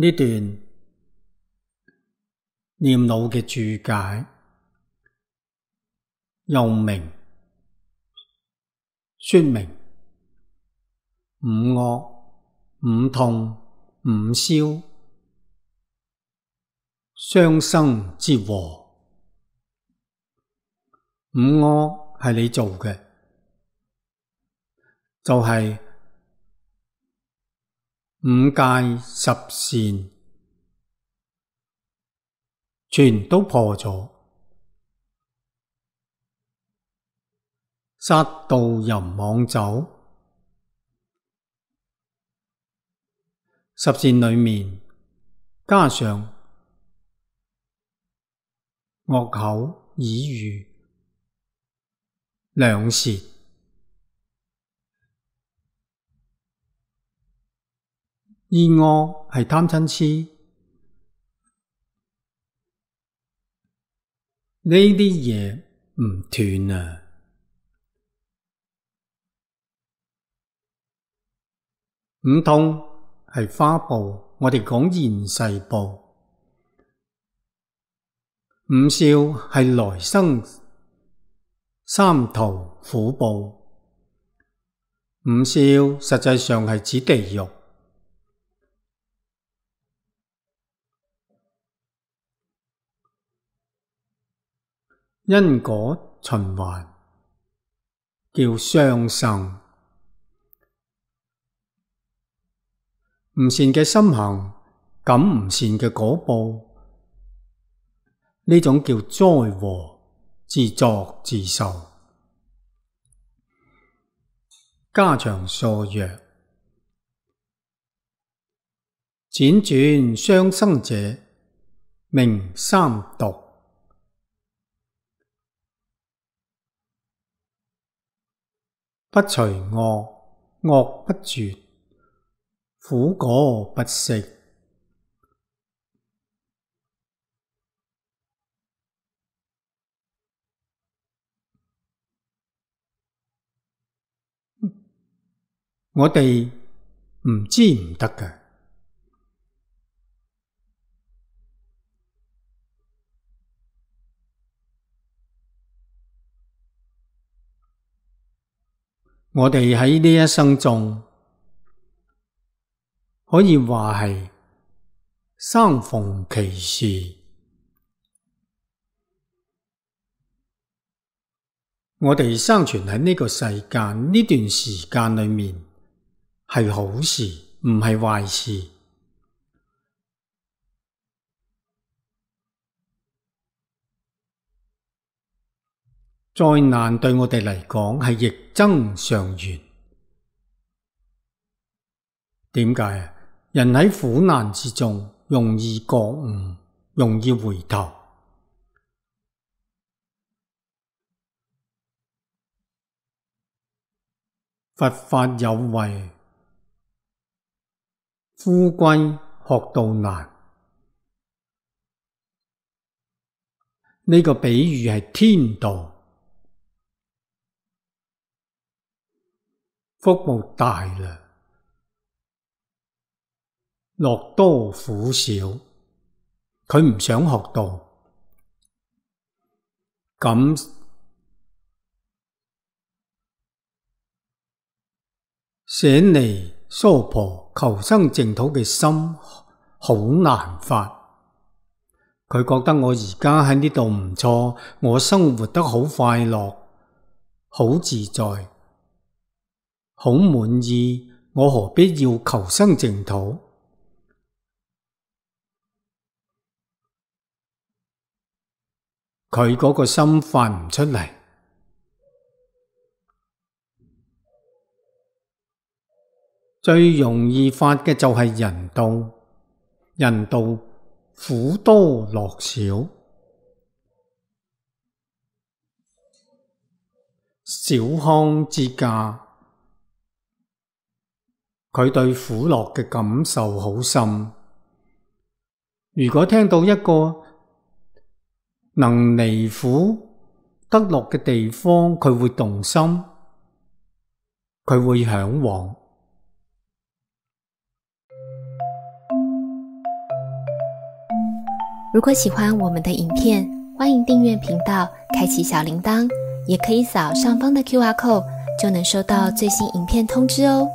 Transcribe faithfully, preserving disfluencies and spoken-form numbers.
呢段念老嘅注解，又名說明五惡、五痛、五消、相生之禍。五惡係你做嘅，就係五戒十善全都破咗，殺盜淫妄酒，十善裏面加上惡口、綺語、兩舌，二惡係貪嗔癡，呢啲嘢唔斷啊！五痛係花報，我哋講現世報。五消係來生三途苦報。五消實際上係指地獄。因果循環叫相生。唔善嘅心行，感唔善嘅果報，呢種叫災禍，自作自受。家長數曰：輾轉相生者，名三毒。不除惡，惡不絕，苦果不息。我哋唔知唔得嘅，我哋喺呢一生中，可以話係生逢其時。我哋生存喺呢個世間呢段時間裏面，係好事，唔係壞事。災難對我哋嚟講係逆增上緣。點解啊？人喺苦難之中，容易覺悟，容易回頭。佛法有為，夫歸學道難。呢個比喻係天道，福報大啦，樂多苦少。佢唔想學道，咁捨離娑婆求生淨土嘅心好難發。佢覺得我而家喺呢度唔錯，我生活得好快樂，好自在，好滿意，我何必要求生淨土？佢嗰個心發唔出嚟。最容易發嘅就係人道，人道苦多樂少，小康之家，佢對苦樂嘅感受好深。如果聽到一個能離苦得樂嘅地方，佢會動心，佢會向往。如果喜欢我们的影片，欢迎订阅频道，开启小铃铛，也可以扫上方的 Q R code， 就能收到最新影片通知哦。